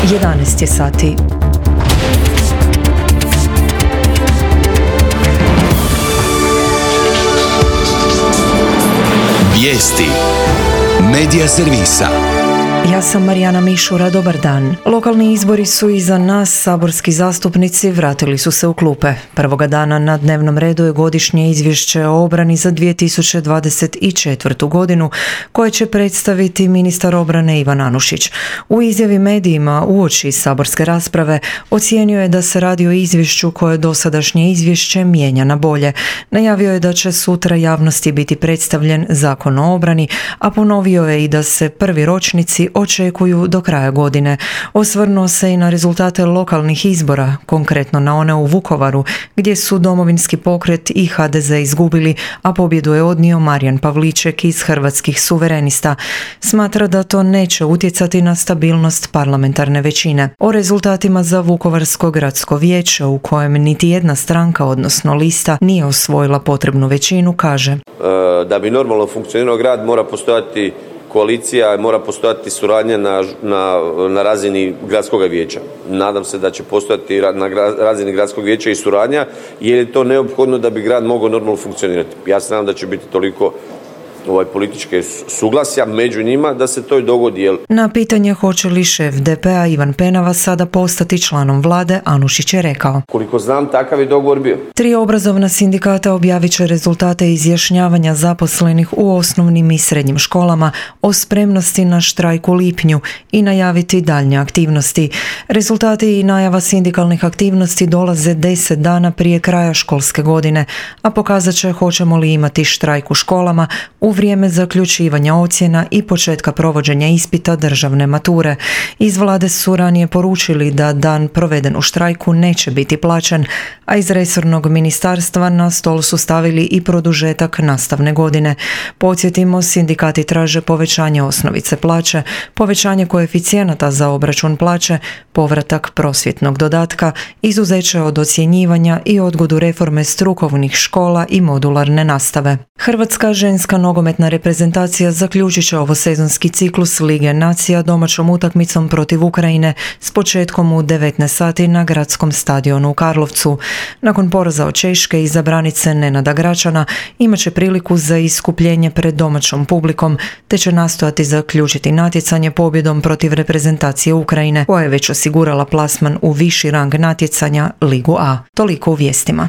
11 je sati. Vijesti Medija servisa. Ja sam Marijana Mišura, dobar dan. Lokalni izbori su iza nas, saborski zastupnici vratili su se u klupe. Prvoga dana na dnevnom redu je godišnje izvješće o obrani za 2024. godinu koje će predstaviti ministar obrane Ivan Anušić. U izjavi medijima uoči saborske rasprave ocijenio je da se radi o izvješću koje dosadašnje izvješće mijenja na bolje. Najavio je da će sutra javnosti biti predstavljen Zakon o obrani, a ponovio je i da se prvi ročnici očekuju do kraja godine. Osvrnuo se i na rezultate lokalnih izbora, konkretno na one u Vukovaru, gdje su Domovinski pokret i HDZ izgubili, a pobjedu je odnio Marijan Pavliček iz Hrvatskih suverenista. Smatra da to neće utjecati na stabilnost parlamentarne većine. O rezultatima za Vukovarsko gradsko vijeće, u kojem niti jedna stranka, odnosno lista, nije osvojila potrebnu većinu, kaže: Da bi normalno funkcionirao grad mora postojati koalicija, mora postojati suradnja na razini gradskog vijeća. Nadam se da će postojati na razini gradskog vijeća i suradnja, jer je to neophodno da bi grad mogao normalno funkcionirati. Ja se nadam da će biti toliko političke suglasja među njima da se to i dogodi. Na pitanje hoće li šef DP-a Ivan Penava sada postati članom vlade, Anušić je rekao: Koliko znam, takav je dogovor bio. 3 obrazovna sindikata objavit će rezultate izjašnjavanja zaposlenih u osnovnim i srednjim školama o spremnosti na štrajk u lipnju i najaviti daljnje aktivnosti. Rezultati i najava sindikalnih aktivnosti dolaze 10 dana prije kraja školske godine, a pokazat će hoćemo li imati štrajk u školama u vrijeme zaključivanja ocjena i početka provođenja ispita državne mature. Iz vlade su ranije poručili da dan proveden u štrajku neće biti plaćen, a iz resornog ministarstva na stol su stavili i produžetak nastavne godine. Podsjetimo, sindikati traže povećanje osnovice plaće, povećanje koeficijenata za obračun plaće, povratak prosvjetnog dodatka, izuzeće od ocjenjivanja i odgodu reforme strukovnih škola i modularne nastave. Hrvatska ženska nogometna reprezentacija zaključit će ovosezonski ciklus Lige nacija domaćom utakmicom protiv Ukrajine s početkom u 19 sati na gradskom stadionu u Karlovcu. Nakon poraza od Češke izabranice Nenada Gračana imat će priliku za iskupljenje pred domaćom publikom, te će nastojati zaključiti natjecanje pobjedom protiv reprezentacije Ukrajine, koja je već osigurala plasman u viši rang natjecanja Ligu A. Toliko u vijestima.